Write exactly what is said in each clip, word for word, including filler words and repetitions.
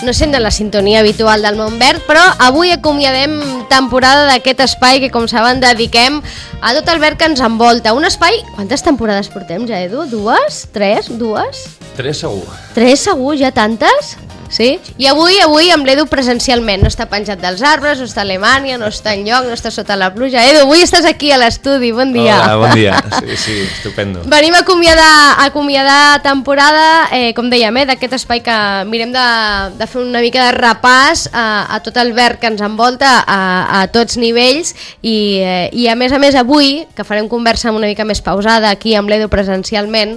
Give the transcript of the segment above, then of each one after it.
no sent de la sintonia habitual del món verd, però avui acomiadem temporada d'aquest espai que, com saben, dediquem a tot el verd que ens envolta. Un espai... Quantes temporades portem ja, Edu? Dues? Tres? Dues? Tres segur. Tres segur? Ja tantes? Sí? I avui, avui amb l'Edu presencialment. No està penjat dels arbres, no està a Alemanya, no està enlloc, no està sota la pluja. Edu, avui estàs aquí a l'estudi, bon dia. Hola, bon dia. Sí, sí, estupendo. Venim a acomiadar, a acomiadar temporada, eh, com dèiem, eh, d'aquest espai que mirem de, de fer una mica de repàs a, a tot el verd que ens envolta a, a tots nivells i, eh, i a més a més avui, que farem conversa una mica més pausada aquí amb l'Edu presencialment,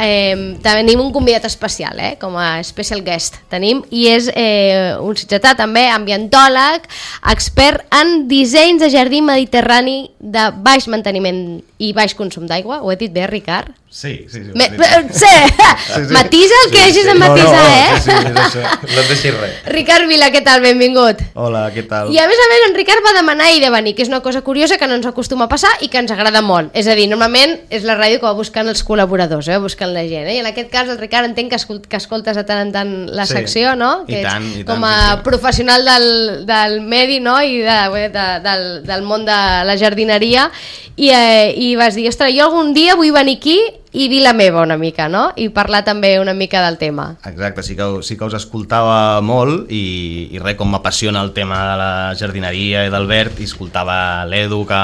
eh, tenim un convidat especial, eh, com a special guest. Tenim i és eh, un sitgetà també, ambientòleg, expert en dissenys de jardí mediterrani de baix manteniment i baix consum d'aigua. Ho he dit bé, Ricard? Sí, sí, sí. Me, sí. sí, sí. Matisa el que sí, hagis sí. de matisar, no, no, eh? Sí, sí, és això. No et deixis res. Ricard Vila, què tal? Benvingut. Hola, què tal? I a més a més, en Ricard va demanar i de venir, que és una cosa curiosa que no ens acostuma a passar i que ens agrada molt. És a dir, normalment és la ràdio que va buscant els col·laboradors, eh? buscant la gent. Eh? I en aquest cas, el Ricard entenc que, escolt, que escoltes de tant en tant la sí. secció, no? Que I tant, i tant. Com a sí, sí. professional del, del medi, no? I de, de, del, del món de la jardineria. I, eh, i vas dir, ostres, jo algun dia vull venir aquí i dir la meva una mica, no? I parlar també una mica del tema. Exacte, sí que, sí que us escoltava molt i, i res, com m'apassiona el tema de la jardineria i del verd, i escoltava l'Edu, que,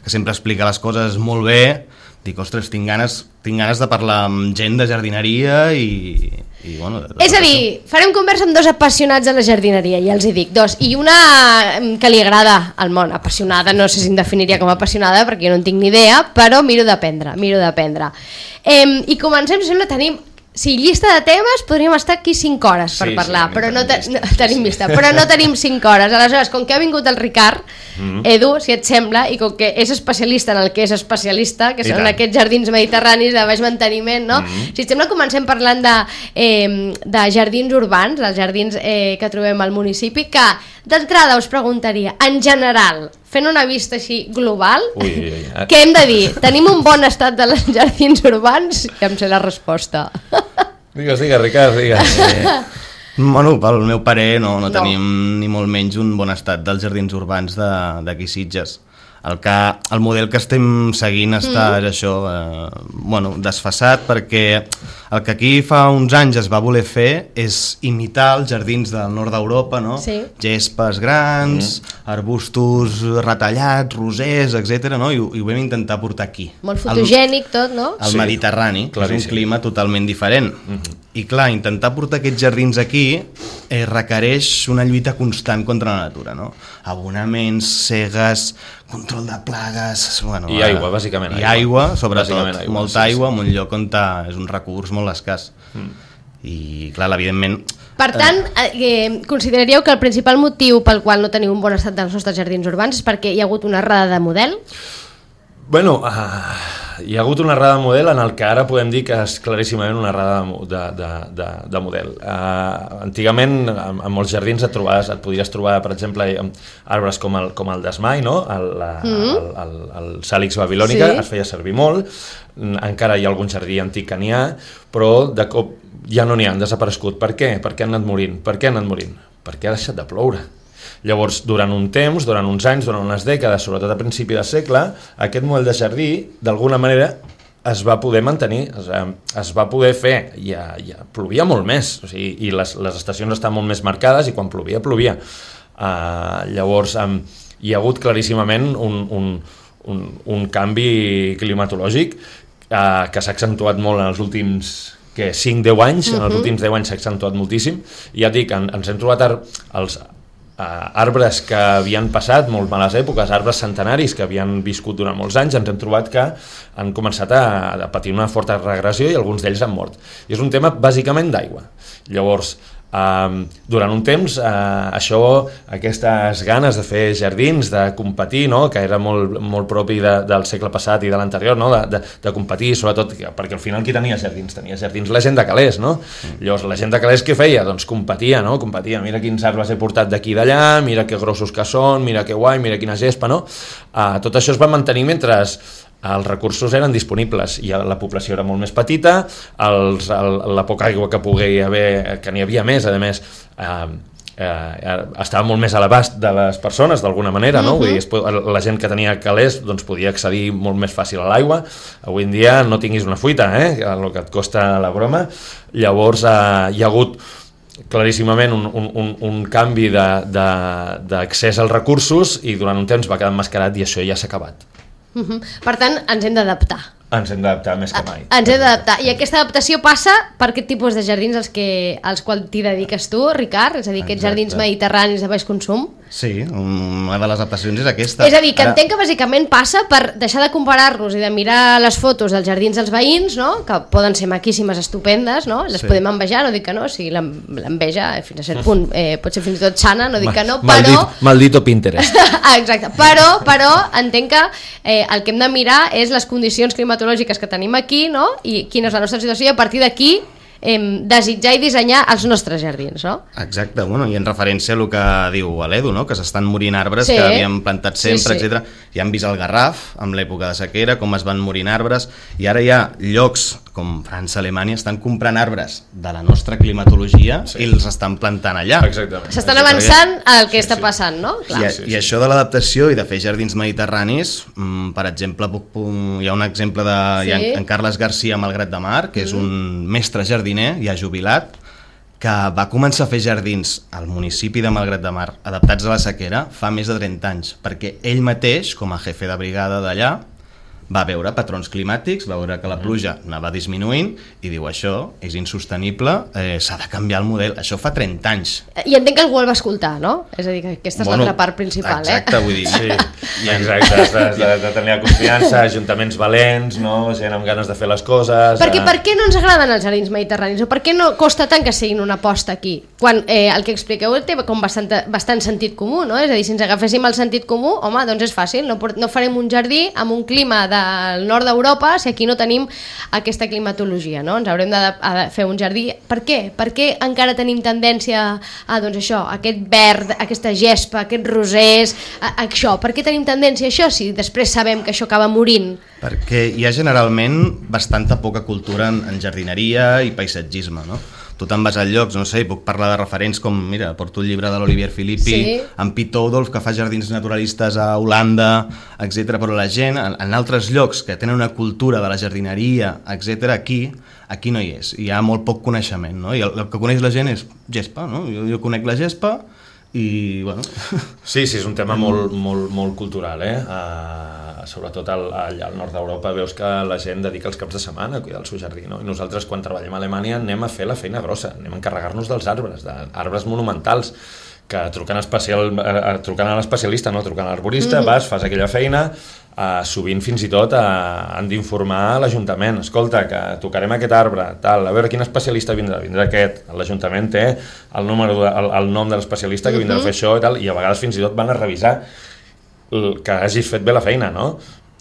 que sempre explica les coses molt bé. Dic, ostres, tinc ganes, tinc ganes de parlar amb gent de jardineria i... i bueno, de, de és a dir, farem conversa amb dos apassionats de la jardineria, ja els hi dic, dos, i una que li agrada al món, apassionada, no sé si em definiria com a apassionada perquè jo no en tinc ni idea, però miro d'aprendre, miro d'aprendre. Eh, I comencem, sembla, tenim... Sí, llista de temes, podríem estar aquí cinc hores per sí, parlar, sí, però no, te, no tenim vista, però no tenim cinc hores. Aleshores, com que ha vingut el Ricard, mm-hmm. Edu, si et sembla, i com que és especialista en el que és especialista, que I són tant. aquests jardins mediterranis de baix manteniment, no? Mm-hmm. Si et sembla, comencem parlant de, eh, de jardins urbans, els jardins eh, que trobem al municipi, que d'entrada us preguntaria, en general, fent una vista així global, ui, ui, ui. què hem de dir? Tenim un bon estat de les jardins urbans? Ja em sé la resposta. Digues, digues, Ricard, digues. Eh, bueno, pel meu parer no, no, no tenim ni molt menys un bon estat dels jardins urbans d'aquí Sitges. El, que, el model que estem seguint està mm. això, eh, bueno, desfasat, perquè el que aquí fa uns anys es va voler fer és imitar els jardins del nord d'Europa, no? Sí. Gespes grans, mm. arbustos retallats, rosers, etcètera, no? I, I ho vam intentar portar aquí. Molt fotogènic tot, no? Al sí. Mediterrani, que és un clima totalment diferent. Mm-hmm. I clar, intentar portar aquests jardins aquí eh, requereix una lluita constant contra la natura, no? Abonaments, cegues, control de plagues... Bueno, I aigua, bàsicament. I aigua, aigua sobretot. Aigua, molta sí, aigua sí. en un lloc on és un recurs molt escàs. Mm. I clar, evidentment... Per tant, eh, consideraríeu que el principal motiu pel qual no teniu un bon estat dels nostres jardins urbans és perquè hi ha hagut una errada de model? Bueno, uh, hi ha hagut una errada de model en el que ara podem dir que és claríssimament una errada de, de, de, de model. Uh, antigament, en, en molts jardins et, trobaves, et podries trobar, per exemple, arbres com el, com el desmai, no? el, la, mm-hmm. el, el, el Salix babilònica, sí. es feia servir molt, encara hi ha algun jardí antic que n'hi ha, però de cop ja no n'hi ha, han desaparegut. Per què? Per què han anat morint? Per què han anat morint? Perquè ha deixat de ploure. Llavors, durant un temps, durant uns anys, durant unes dècades, sobretot a principi de segle, aquest model de jardí, d'alguna manera, es va poder mantenir, es, es va poder fer, ja, ja plovia molt més, o sigui, i les, les estacions estan molt més marcades, i quan plovia, plovia. Uh, llavors, um, hi ha hagut claríssimament un, un, un, un canvi climatològic uh, que s'ha accentuat molt en els últims... que cinc deu anys, uh-huh. en els últims deu anys s'ha accentuat moltíssim, i ja et dic, en, ens hem trobat ar- els Uh, arbres que havien passat molt males èpoques, arbres centenaris que havien viscut durant molts anys, ens hem trobat que han començat a, a patir una forta regressió i alguns d'ells han mort. I és un tema bàsicament d'aigua. Llavors, Uh, durant un temps uh, això, aquestes ganes de fer jardins, de competir, no? Que era molt, molt propi de, del segle passat i de l'anterior, no? de, de, de competir, sobretot perquè al final qui tenia jardins? Tenia jardins la gent de calés, no? Mm. Llavors la gent de calés què feia? Doncs competia, no? Competia, mira quins arbres he portat d'aquí i d'allà, mira que grossos que són, mira que guai, mira quina gespa, no? Uh, tot això es va mantenir mentre els recursos eren disponibles i la població era molt més petita, els, el, la poca aigua que pogués haver, que n'hi havia més, a més, eh, eh, estava molt més a l'abast de les persones d'alguna manera, no? Uh-huh. Vull dir, la gent que tenia calés doncs, podia accedir molt més fàcil a l'aigua. Avui en dia no tinguis una fuita, eh? El que et costa la broma. Llavors eh, hi ha hagut claríssimament un, un, un, un canvi d'accés als recursos i durant un temps va quedar emmascarat i això ja s'ha acabat. Uh-huh. Per tant, ens hem d'adaptar. Ens hem d'adaptar més que mai. Ens hem d'adaptar. I aquesta adaptació passa per aquest tipus de jardins als, que, als quals t'hi dediques tu, Ricard? És a dir, aquests Exacte. Jardins mediterranis de baix consum? Sí, una de les adaptacions és aquesta. És a dir, que Ara... entenc que bàsicament passa per deixar de comparar-nos i de mirar les fotos dels jardins dels veïns, no? Que poden ser maquíssimes, estupendes, no? Les sí. podem envejar, no dic que no, si l'enveja fins a cert punt eh, pot ser fins i tot sana, no dic que no, però... Maldit, maldito Pinterest. Exacte, però, però entenc que eh, el que hem de mirar és les condicions climatològiques que tenim aquí, no? I quina és la nostra situació i a partir d'aquí eh, desitjar i dissenyar els nostres jardins, no? Exacte, bueno, i en referència a el que diu l'Edu, no? Que s'estan morint arbres sí. que havíem plantat sempre, sí, sí. etcètera. Ja hem vist el Garraf, amb l'època de sequera, com es van morint arbres, i ara hi ha llocs com França, Alemanya, estan comprant arbres de la nostra climatologia sí. i els estan plantant allà. Exactament. S'estan avançant al que sí, està passant, no? Clar. I, sí, sí. I això de l'adaptació i de fer jardins mediterranis, mm, per exemple, puc, puc, hi ha un exemple de sí. hi ha en Carles Garcia a Malgrat de Mar, que és mm. un mestre jardiner, ja jubilat, que va començar a fer jardins al municipi de Malgrat de Mar, adaptats a la sequera, fa més de trenta anys, perquè ell mateix, com a jefe de brigada d'allà, va veure patrons climàtics, va veure que la pluja anava disminuint i diu això és insostenible, eh, s'ha de canviar el model. Això fa trenta anys. I entenc que algú el va escoltar, no? És a dir, que aquesta és bueno, l'altra part principal. Exacte, eh? vull dir. Sí, i exacte, has de, de, de tenir la confiança, ajuntaments valents, no? Gent amb ganes de fer les coses... Perquè eh... per què no ens agraden els jardins mediterranis? O per què no costa tant que siguin una aposta aquí? Quan eh, el que expliqueu té com bastant, bastant sentit comú, no? És a dir, si ens agaféssim el sentit comú, home, doncs és fàcil, no, no farem un jardí amb un clima de del nord d'Europa si aquí no tenim aquesta climatologia, no? Ens haurem de, de fer un jardí. Per què? Per què encara tenim tendència a, doncs això, aquest verd, aquesta gespa, aquests rosers, a, a això? Per què tenim tendència a això si després sabem que això acaba morint? Perquè hi ha generalment bastanta poca cultura en, en jardineria i paisatgisme, no? Tu te'n vas a llocs, no sé, puc parlar de referents com, mira, porto el llibre de l'Olivier Filippi, sí. amb Piet Oudolf, que fa jardins naturalistes a Holanda, etcètera. Però la gent, en, en altres llocs que tenen una cultura de la jardineria, etcètera, aquí, aquí no hi és. Hi ha molt poc coneixement, no? I el, el que coneix la gent és gespa, no? Jo, jo conec la gespa i, bueno... Sí, sí, és un tema molt, molt, molt cultural, eh? Uh, sobretot al, allà al nord d'Europa veus que la gent dedica els caps de setmana a cuidar el seu jardí, no? I nosaltres quan treballem a Alemanya anem a fer la feina grossa, anem a encarregar-nos dels arbres, d'arbres monumentals, que trucant, especial, uh, trucant a l'especialista, no? Trucant a l'arborista, mm-hmm. vas, fas aquella feina, uh, sovint fins i tot uh, han d'informar l'Ajuntament, escolta, que tocarem aquest arbre, tal, a veure quin especialista vindrà, vindrà aquest, l'Ajuntament té el, número de, el, el nom de l'especialista que vindrà mm-hmm. a fer això i tal, i a vegades fins i tot van a revisar que hagis fet bé la feina, no?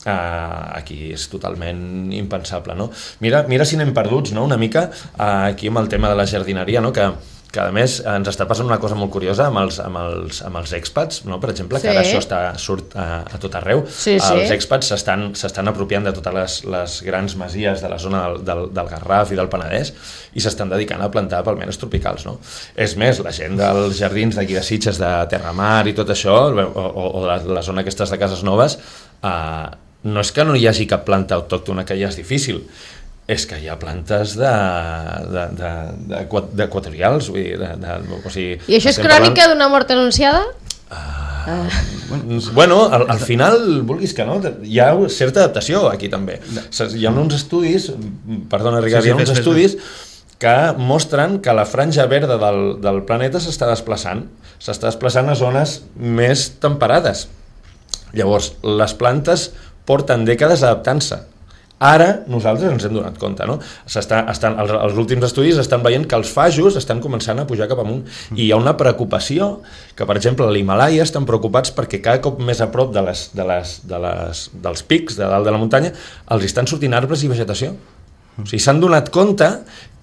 Uh, aquí és totalment impensable, no? Mira, mira si anem perduts, no? Una mica uh, aquí amb el tema de la jardineria, no? Que que a més ens està passant una cosa molt curiosa amb els, amb els, amb els expats, no? Per exemple, sí. que ara això està, surt a, a tot arreu. Sí, sí. Els expats s'estan s'estan apropiant de totes les, les grans masies de la zona del, del, del Garraf i del Penedès i s'estan dedicant a plantar palmeres tropicals, no? És més, la gent dels jardins d'aquí de Sitges, de Terramar i tot això, o, o, o la, la zona aquestes de Cases Noves, eh, no és que no hi hagi cap planta autòctona que ja és difícil, és que hi ha plantes de, de, de, de, d'equatorials, vull dir, de, de, o sigui... I això és crònica parlant... d'una mort anunciada? Uh, uh. Bueno, al, al final, vulguis que no, hi ha certa adaptació aquí també. Hi ha uns estudis, perdona Ricard, sí, sí, hi ha uns fes, estudis fes. que mostren que la franja verda del, del planeta s'està desplaçant, s'està desplaçant a zones més temperades. Llavors, les plantes porten dècades adaptant-se. Ara nosaltres ens hem donat compte, no? S'està, estan, els, els últims estudis estan veient que els fajos estan començant a pujar cap amunt i hi ha una preocupació que, per exemple, a l'Himàlaia estan preocupats perquè cada cop més a prop de les, de les, de les, dels pics de dalt de la muntanya els estan sortint arbres i vegetació. O sigui, s'han donat compte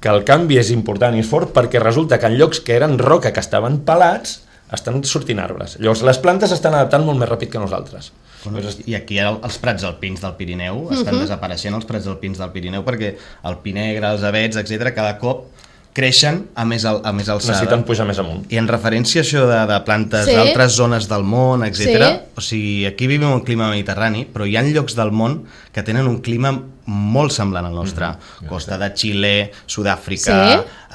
que el canvi és important i és fort perquè resulta que en llocs que eren roca, que estaven pelats, estan sortint arbres. Llavors, les plantes s'estan adaptant molt més ràpid que nosaltres. I aquí els prats alpins del Pirineu estan uh-huh. desapareixent, els prats alpins del Pirineu, perquè el pi negre, els avets, etcètera, cada cop creixen a més, al, a més alçada. Necessiten pujar més amunt. I en referència a això de, de plantes sí. d'altres zones del món, etcètera, sí. o sigui, aquí vivim un clima mediterrani, però hi ha llocs del món que tenen un clima molt semblant al nostre. Mm-hmm. Costa de Xile, Sud-àfrica,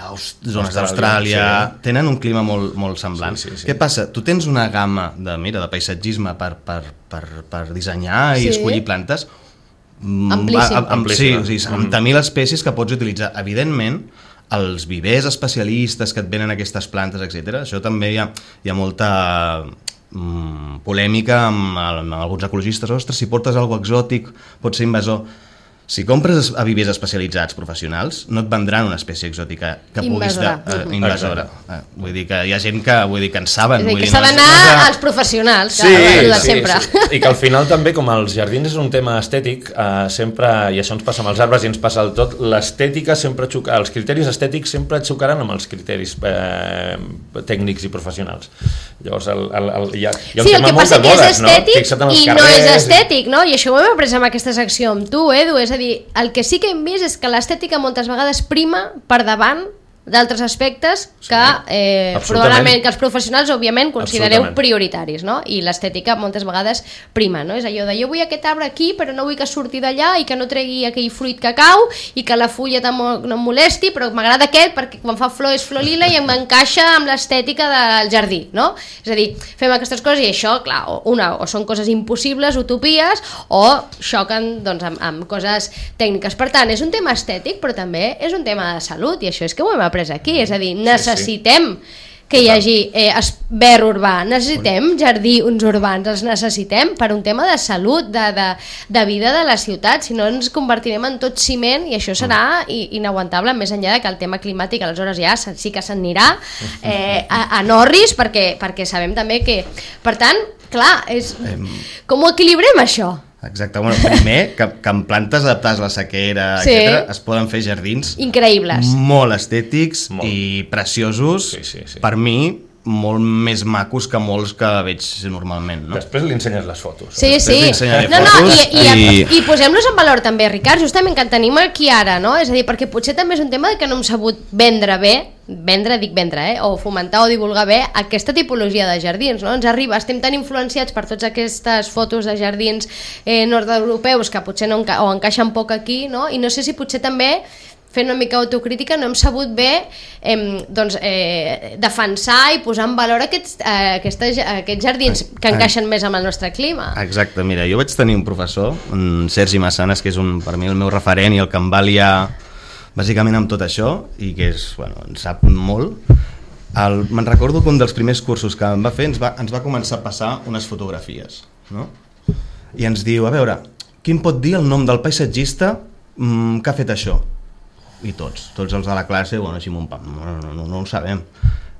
sí. zones d'Austràlia, sí. tenen un clima molt, molt semblant. Sí, sí, sí. Què passa? Tu tens una gamma de, mira, de paisatgisme per, per, per, per dissenyar i sí. escollir plantes amplíssim. Amb, amb, sí, sí, amb mm. mil espècies que pots utilitzar. Evidentment, els vivers especialistes que et venen aquestes plantes, etcètera, això també hi ha, hi ha molta mm, polèmica amb, amb alguns ecologistes. Ostres, si portes alguna cosa exòtic pot ser invasor. Si compres a vivers especialitzats professionals, no et vendran una espècie exòtica que puguis de, uh, invasora. Uh, vull dir que hi ha gent que, vull dir, que en saben. És a dir, que s'ha no d'anar no als professionals, sí, que sí, sempre. Sí. I que al final també, com els jardins és un tema estètic, uh, sempre, i això ens passa amb els arbres i ens passa el tot, l'estètica sempre xoca, els criteris estètics sempre xocaran amb els criteris eh, tècnics i professionals. Llavors, el, el, el, hi ha, hi ha un sí, tema molt de modes, no? Fixa't en els i carrers, no és estètic, no? I això ho hem après amb aquesta secció amb tu, Edu, és a dir, el que sí que hem vist és que l'estètica moltes vegades prima per davant d'altres aspectes que eh, probablement que els professionals òbviament considereu prioritaris, no? I l'estètica moltes vegades prima, no? És allò de jo vull aquest arbre aquí però no vull que surti d'allà i que no tregui aquell fruit que cau i que la fulla no em molesti, però m'agrada aquest perquè quan fa flor és flor lila i m'encaixa amb l'estètica del jardí, no? És a dir, fem aquestes coses i això, clar, una, o són coses impossibles, utopies, o xoquen doncs, amb, amb coses tècniques. Per tant, és un tema estètic però també és un tema de salut i això és que ho hem après aquí, és a dir, necessitem sí, sí. que hi hagi eh, verd urbà, necessitem jardins urbans, els necessitem per un tema de salut, de, de, de vida de la ciutat, si no ens convertirem en tot ciment i això serà inaguantable, més enllà de que el tema climàtic aleshores ja sí que s'anirà eh, a, a Norris, perquè, perquè sabem també que, per tant, clar, és, com ho equilibrem això? Exacte, bueno, primer que, que amb plantes adaptades a la sequera, sí. etcètera, es poden fer jardins increïbles, molt estètics molt. I preciosos, sí, sí, sí. Per mi molt més macos que molts que veig normalment, no? Després li ensenyes les fotos. Sí, sí. No, no, i, i, i... i posem-los en valor també, Ricard, justament que en tenim aquí ara, no? És a dir, perquè potser també és un tema de que no hem sabut vendre bé, vendre, dic vendre, eh? O fomentar o divulgar bé aquesta tipologia de jardins, no? Ens arriba, estem tan influenciats per totes aquestes fotos de jardins eh, nord-europeus que potser no enca o encaixen poc aquí, no? I no sé si potser també fent una mica autocrítica no hem sabut bé eh, doncs, eh, defensar i posar en valor aquests, eh, aquestes, aquests jardins que encaixen més amb el nostre clima. Exacte, mira, jo vaig tenir un professor, en Sergi Massanes, que és un, per mi el meu referent i el que em va liar bàsicament amb tot això i que és, bueno, en sap molt. El, me'n recordo que un dels primers cursos que em va fer ens va, ens va començar a passar unes fotografies, no? I ens diu, a veure, quin pot dir el nom del paisatgista mm, que ha fet això? I tots, tots els de la classe, bueno, així un pam, no, no, no, no ho sabem.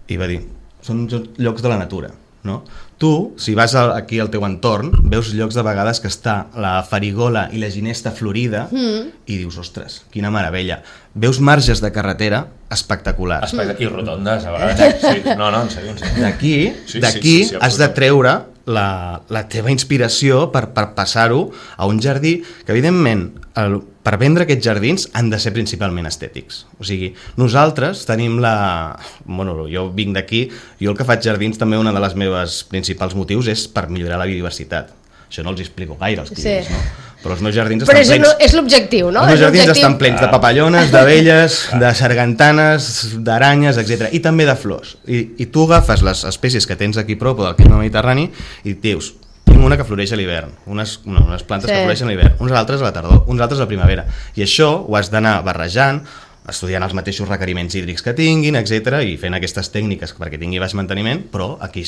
I va dir, són llocs de la natura, no? Tu, si vas aquí al teu entorn, veus llocs de vegades que està la farigola i la ginesta florida mm. i dius, ostres, quina meravella. Veus marges de carretera espectaculars. Mm. I rotondes, a vegades. Sí. No, no, en sèrio, en sèrio. D'aquí, sí, d'aquí sí, sí, sí, has de treure la, la teva inspiració per, per passar-ho a un jardí que, evidentment, el, per vendre aquests jardins han de ser principalment estètics. O sigui, nosaltres tenim la... Bueno, jo vinc d'aquí, jo el que faig jardins també una de les meves principals motius és per millorar la biodiversitat. Això no els explico gaire als clients, sí. no? Però els meus jardins estan Però és, plens... Però és l'objectiu, no? Els meus jardins estan plens de papallones, d'abelles, de sargantanes, d'aranyes, etcètera. I també de flors. I, I tu agafes les espècies que tens aquí prop del clima mediterrani i dius, tinc una que floreix a l'hivern, unes, no, unes plantes sí. que floreixen a l'hivern, unes altres a la tardor, uns altres a la primavera. I això ho has d'anar barrejant, estudiant els mateixos requeriments hídrics que tinguin, etcètera, i fent aquestes tècniques perquè tingui baix manteniment, però aquí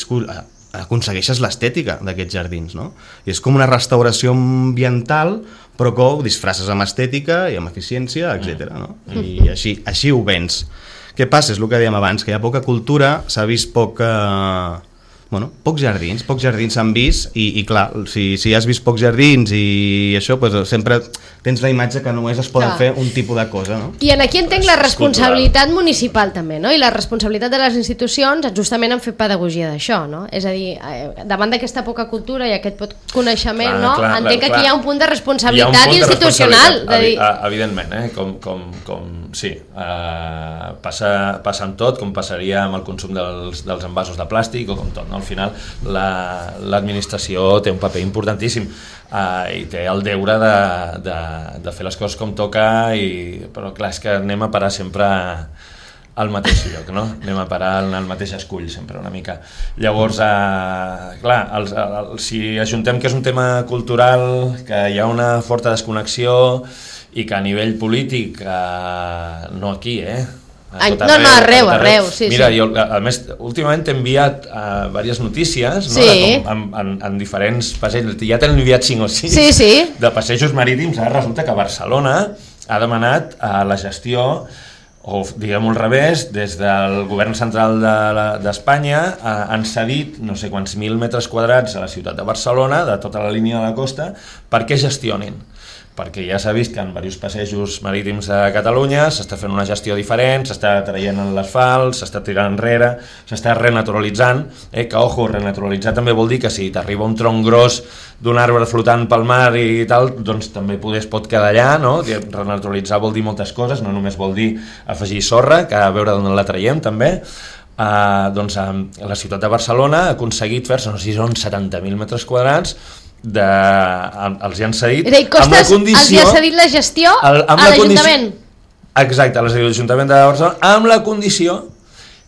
aconsegueixes l'estètica d'aquests jardins, no? I és com una restauració ambiental, però que ho disfresses amb estètica i amb eficiència, etcètera, no? I així, així ho vens. Què passa? És el que dèiem abans, que hi ha poca cultura, s'ha vist poca, bueno, pocs jardins, pocs jardins s'han vist i, i clar, si, si has vist pocs jardins i això, doncs sempre tens la imatge que només es poden clar. fer un tipus de cosa, no? I en aquí entenc la responsabilitat municipal també, no? I la responsabilitat de les institucions justament en fer pedagogia d'això, no? És a dir, davant d'aquesta poca cultura i aquest poc coneixement, clar, no? Clar, entenc clar, que aquí clar. hi ha un punt de responsabilitat punt institucional. De dir... Evidentment, eh? com, com, com sí, uh, passa, passa amb tot, com passaria amb el consum dels, dels envasos de plàstic o com tot, no? Al final l'administració la, té un paper importantíssim uh, i té el deure de, de, de fer les coses com toca, i, però clar, és que anem a parar sempre al mateix lloc, no? Anem a parar al mateix escull sempre una mica. Llavors, eh, clar, els, els, si ajuntem que és un tema cultural, que hi ha una forta desconnexió i que a nivell polític, eh, no aquí, eh? Ai, no, arreu, no, arreu, arreu, sí, Mira, sí. jo, a més, últimament t'he enviat uh, diverses notícies, no? Sí. De com, en, en, en diferents passejos, ja t'he enviat cinc o sis, sí, sí. de passejos marítims. Ara resulta que Barcelona ha demanat a la gestió, o diguem-ho al revés, des del govern central d'Espanya de, uh, han cedit no sé quants mil metres quadrats a la ciutat de Barcelona, de tota la línia de la costa, perquè gestionin. Perquè ja s'ha vist que en diversos passejos marítims de Catalunya s'està fent una gestió diferent, s'està traient l'asfalt, s'està tirant enrere, s'està renaturalitzant, eh, que, ojo, renaturalitzar també vol dir que si t'arriba un tronc gros d'un arbre flotant pel mar i tal, doncs també poder es pot quedar allà, no? Renaturalitzar vol dir moltes coses, no només vol dir afegir sorra, que a veure d'on la traiem també. Uh, doncs uh, la ciutat de Barcelona ha aconseguit fer-se, no sé si són setanta mil metres quadrats, de, els hi han cedit dir, costes, amb la condició, els hi ha cedit la gestió el, a l'Ajuntament. Exacte, a l'Ajuntament de Barcelona, amb la condició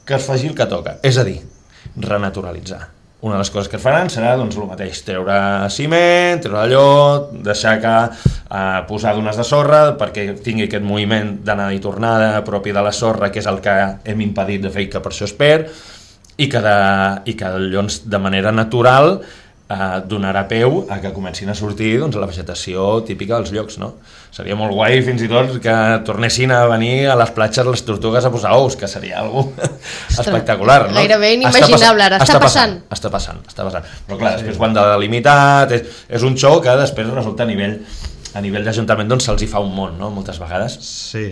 que es faci el que toca, és a dir, renaturalitzar. Una de les coses que es faran serà doncs, el mateix, treure ciment, treure allò, deixar que eh, posar dunes de sorra perquè tingui aquest moviment d'anada i tornada propi de la sorra, que és el que hem impedit de fer, que per això es perd, i que, de, i que llavors de manera natural Uh, donarà peu a que comencin a sortir doncs, la vegetació típica dels llocs, no? Seria molt guai fins i tot que tornessin a venir a les platges les tortugues a posar ous, que seria algo espectacular, no? Gairebé inimaginable, ara està, està passant. Està passant, està passant. Però clar, després ho han de delimitar, és, és un show que després resulta a nivell, a nivell d'Ajuntament doncs se'ls hi fa un món, no? Moltes vegades. Sí.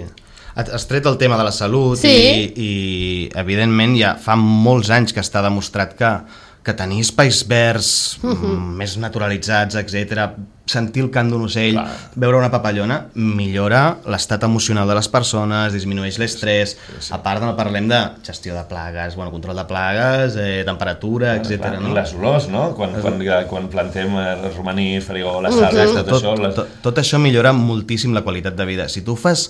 Has tret el tema de la salut, sí. i, i evidentment ja fa molts anys que està demostrat que que tenir espais verds uh-huh. més naturalitzats, etcètera, sentir el cant d'un ocell, clar. Veure una papallona, millora l'estat emocional de les persones, disminueix l'estrès, sí, sí. A part no parlem de gestió de plagues, bueno, control de plagues, eh, temperatura, bueno, etcètera. No? Les olors, no? Quan, quan, quan plantem el romaní, farigola, uh-huh. sal, tot, tot, això... Les... Tot, tot això millora moltíssim la qualitat de vida. Si tu fas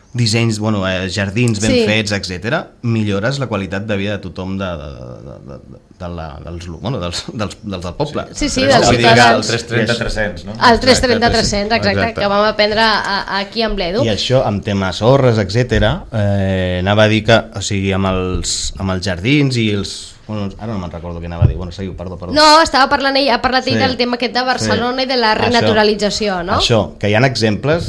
dissenys, bueno, eh, jardins ben sí. fets, etcètera, millores la qualitat de vida de tothom de, de, de, de, de la, dels, bueno, dels, dels, dels del poble. Sí, sí, dels ciutadans. El tres trenta tres cents, no? El tres trenta tres cents, exacte, exacte, que vam aprendre a, a, aquí amb l'Edu. I això, amb temes sorres, etcètera, eh, anava a dir que, o sigui, amb els, amb els jardins i els... Bueno, ara no me'n recordo què anava a dir. Bueno, seguiu, perdó, perdó. No, estava parlant ell, ha parlat ell sí. del tema aquest de Barcelona sí. i de la renaturalització, això, no? Això, que hi ha exemples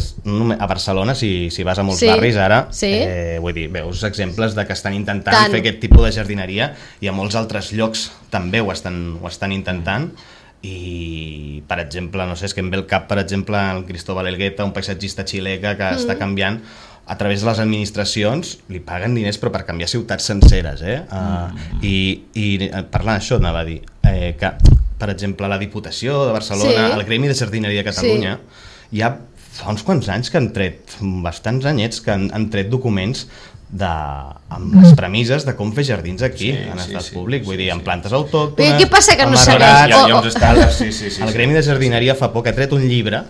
a Barcelona, si, si vas a molts sí. barris ara, sí. eh, vull dir, veus exemples de que estan intentant Tant. fer aquest tipus de jardineria i a molts altres llocs també ho estan, ho estan intentant. I, per exemple, no sé, és que em ve el cap, per exemple, el Cristóbal Elgueta, un paisatgista xilè que mm. està canviant a través de les administracions, li paguen diners però per canviar ciutats senceres, eh? Uh, mm. I, i parlant d'això anava a dir eh, que, per exemple, la Diputació de Barcelona, sí. el Gremi de Jardineria de Catalunya, sí. hi ha fa uns quants anys que han tret, bastants anyets, que han, han tret documents de, amb les premisses de com fer jardins aquí, sí, en estat sí, públic, vull sí, dir, amb plantes autòctones... Què passa que no sabem? Hi ha, hi ha uns estàndards, sí, sí, sí. El Gremi de Jardineria fa poc ha tret un llibre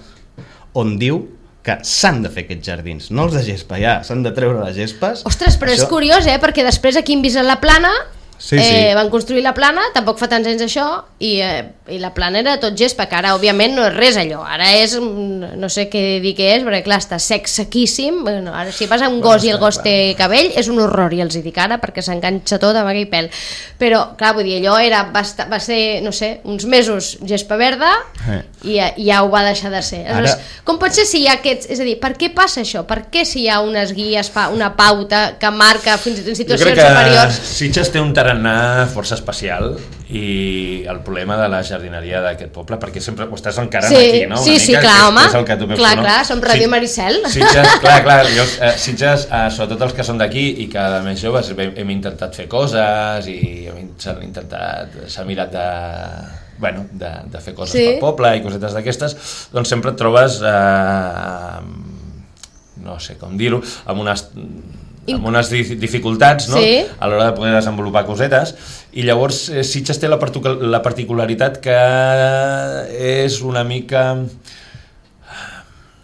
on diu que s'han de fer aquests jardins, no els de gespa, ja, s'han de treure les gespes. Ostres, però això... és curiós, eh? Perquè després aquí hem vist a la Plana, sí, eh, sí. van construir la Plana, tampoc fa tants anys això, i, eh, i la Plana era tot gespa, que ara òbviament no és res allò, ara és, no sé què dir què és, perquè clar, està sec, sequíssim, bueno, ara si vas a un gos i el gos té cabell, és un horror, i els hi dic ara, perquè s'enganxa tot a vaga i pèl, però clar, vull dir, allò era, va, estar, va ser, no sé, uns mesos gespa verda, eh. i, i ja ho va deixar de ser. Ara... Com pot ser si hi ha aquests, és a dir, per què passa això? Per què si hi ha unes guies, una pauta que marca fins i tot en situacions superiors? Sitges té un terreny tarannà força especial i el problema de la jardineria d'aquest poble, perquè sempre ho estàs encarant sí, aquí, no? Una sí, mica, sí, clar, és, home, és el que tu veus, clar, no? clar, som Ràdio sí, Maricel. Sitges, clar, clar, jo, eh, Sitges, eh, sobretot els que són d'aquí i que de més joves hem, hem intentat fer coses i hem intentat, s'ha mirat de... bueno, de, de fer coses sí. pel poble i cosetes d'aquestes, doncs sempre et trobes eh, no sé com dir-ho, amb unes amb unes dificultats, no? Sí. A l'hora de poder desenvolupar cosetes, i llavors eh, Sitges té la, la particularitat que és una mica...